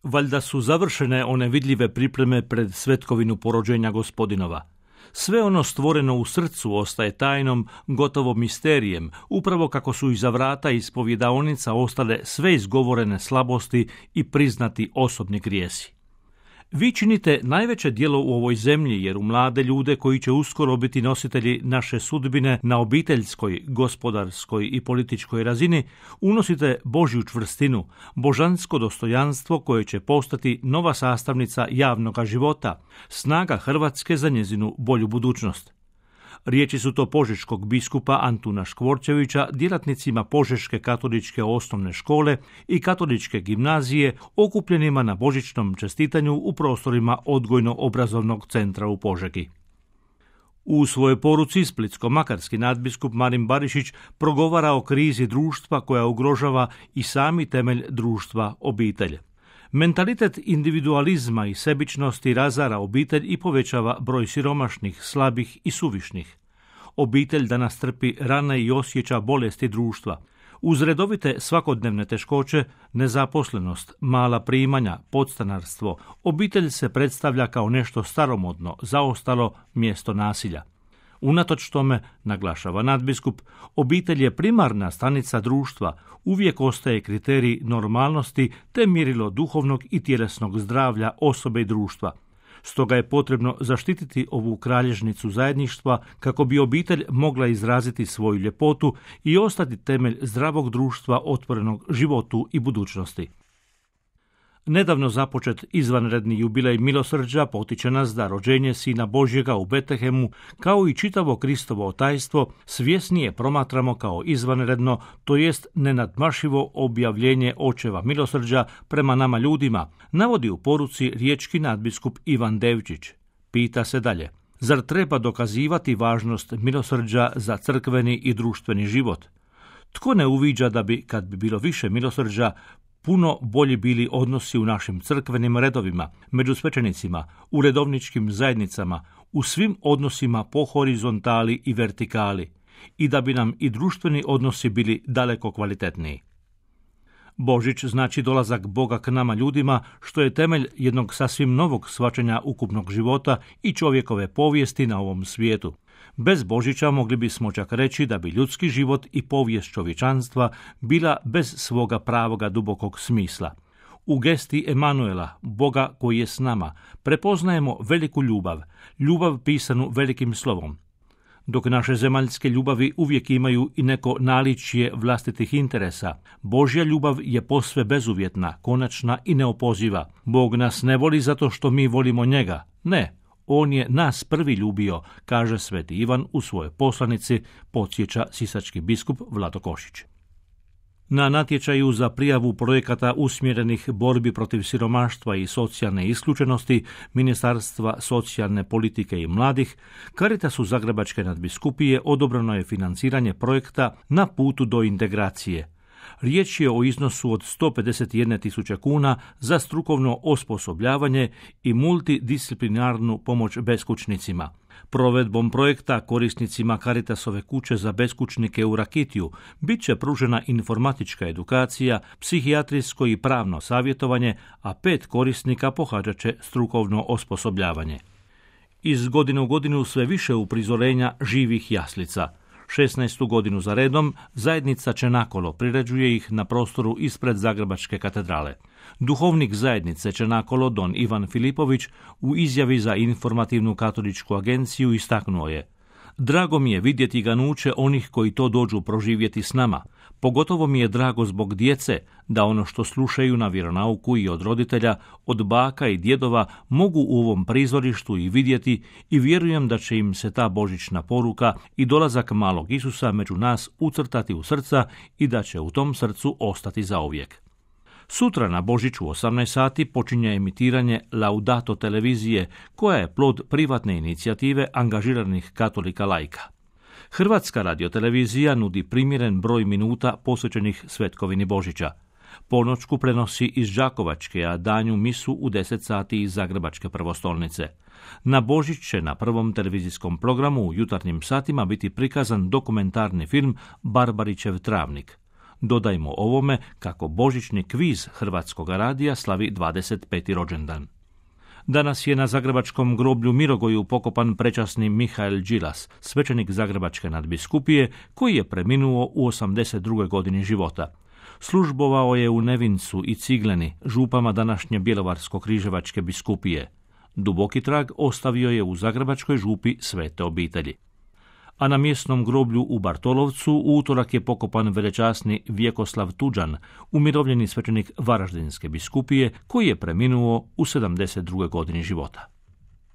Valjda su završene one vidljive pripreme pred svetkovinu porođenja Gospodinova. Sve ono stvoreno u srcu ostaje tajnom, gotovo misterijem, upravo kako su iza vrata ispovjedaonica ostale sve izgovorene slabosti i priznati osobni grijesi. Vi činite najveće djelo u ovoj zemlji, jer u mlade ljude koji će uskoro biti nositelji naše sudbine na obiteljskoj, gospodarskoj i političkoj razini, unosite Božju čvrstinu, božansko dostojanstvo koje će postati nova sastavnica javnoga života, snaga Hrvatske za njezinu bolju budućnost. Riječi su to požeškog biskupa Antuna Škvorčevića djelatnicima Požeške katoličke osnovne škole i katoličke gimnazije okupljenima na božićnom čestitanju u prostorima odgojno-obrazovnog centra u Požegi. U svojoj poruci splitsko-makarski nadbiskup Marin Barišić progovara o krizi društva koja ugrožava i sami temelj društva, obitelj. Mentalitet individualizma i sebičnosti razara obitelj i povećava broj siromašnih, slabih i suvišnih. Obitelj danas trpi rane i osjeća bolesti društva. Uz redovite svakodnevne teškoće, nezaposlenost, mala primanja, podstanarstvo, obitelj se predstavlja kao nešto staromodno, zaostalo mjesto nasilja. Unatoč tome, naglašava nadbiskup, obitelj je primarna stanica društva, uvijek ostaje kriterij normalnosti te mjerilo duhovnog i tjelesnog zdravlja osobe i društva. Stoga je potrebno zaštititi ovu kralježnicu zajedništva kako bi obitelj mogla izraziti svoju ljepotu i ostati temelj zdravog društva otvorenog životu i budućnosti. Nedavno započet izvanredni jubilej milosrđa potiče nas da rođenje Sina Božjega u Betlehemu, kao i čitavo Kristovo otajstvo, svjesnije promatramo kao izvanredno, to jest nenadmašivo objavljenje očeva milosrđa prema nama ljudima, navodi u poruci riječki nadbiskup Ivan Devčić. Pita se dalje, zar treba dokazivati važnost milosrđa za crkveni i društveni život? Tko ne uviđa da bi, kad bi bilo više milosrđa, puno bolji bili odnosi u našim crkvenim redovima, među svećenicima, u redovničkim zajednicama, u svim odnosima po horizontali i vertikali, i da bi nam i društveni odnosi bili daleko kvalitetniji. Božić znači dolazak Boga k nama ljudima, što je temelj jednog sasvim novog shvaćanja ukupnog života i čovjekove povijesti na ovom svijetu. Bez Božića mogli bismo čak reći da bi ljudski život i povijest čovječanstva bila bez svoga pravoga dubokog smisla. U gesti Emanuela, Boga koji je s nama, prepoznajemo veliku ljubav, ljubav pisanu velikim slovom. Dok naše zemaljske ljubavi uvijek imaju i neko naličje vlastitih interesa, Božja ljubav je posve bezuvjetna, konačna i neopoziva. Bog nas ne voli zato što mi volimo njega. Ne, on je nas prvi ljubio, kaže sveti Ivan u svojoj poslanici, podsjeća sisački biskup Vlado Košić. Na natječaju za prijavu projekata usmjerenih borbi protiv siromaštva i socijalne isključenosti Ministarstva socijalne politike i mladih, Caritasu Zagrebačke nadbiskupije odobreno je financiranje projekta Na putu do integracije. Riječ je o iznosu od 151.000 kuna za strukovno osposobljavanje i multidisciplinarnu pomoć beskućnicima. Provedbom projekta korisnicima Caritasove kuće za beskućnike u Rakitiju bit će pružena informatička edukacija, psihijatrijsko i pravno savjetovanje, a 5 korisnika pohađat će strukovno osposobljavanje. Iz godine u godinu sve više uprizorenja živih jaslica. 16. godinu za redom zajednica Čenakolo priređuje ih na prostoru ispred Zagrebačke katedrale. Duhovnik zajednice Čenakolo don Ivan Filipović u izjavi za informativnu katoličku agenciju istaknuo je: drago mi je vidjeti ganuće onih koji to dođu proživjeti s nama. Pogotovo mi je drago zbog djece da ono što slušaju na vjeronauku i od roditelja, od baka i djedova mogu u ovom prizorištu i vidjeti i vjerujem da će im se ta božićna poruka i dolazak malog Isusa među nas ucrtati u srca i da će u tom srcu ostati zauvijek. Sutra na Božić u 18 sati počinje emitiranje Laudato televizije, koja je plod privatne inicijative angažiranih katolika laika. Hrvatska radiotelevizija nudi primjeren broj minuta posvećenih svetkovini Božića. Ponoćku prenosi iz Đakovačke, a danju misu u 10 sati iz Zagrebačke prvostolnice. Na Božić će na prvom televizijskom programu u jutarnjim satima biti prikazan dokumentarni film Barbarićev travnik. Dodajmo ovome kako božićni kviz Hrvatskog radija slavi 25. rođendan. Danas je na zagrebačkom groblju Mirogoju pokopan prečasni Mihael Đilas, svećenik Zagrebačke nadbiskupije, koji je preminuo u 82. godini života. Službovao je u Nevincu i Cigleni, župama današnje Bjelovarsko-križevačke biskupije. Duboki trag ostavio je u zagrebačkoj župi Svete obitelji. A na mjesnom groblju u Bartolovcu u utorak je pokopan velečasni Vjekoslav Tuđan, umirovljeni svećenik Varaždinske biskupije, koji je preminuo u 72. godini života.